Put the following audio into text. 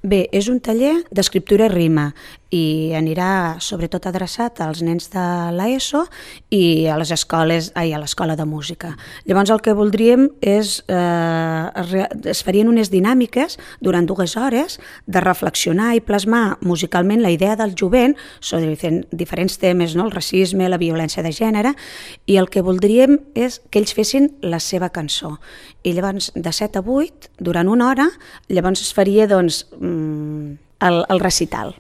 Bé, és un taller d'escriptura i rima i anirà sobretot adreçat als nens de l'ESO i a les escoles, a l'escola de música. Llavors el que voldríem és, es farien unes dinàmiques durant 2 hores de reflexionar i plasmar musicalment la idea del jovent sobre diferents temes, no? El racisme, la violència de gènere, i el que voldríem és que ells fessin la seva cançó. I llavors de 7 a 8, durant 1 hora, llavors es faria doncs, el recital.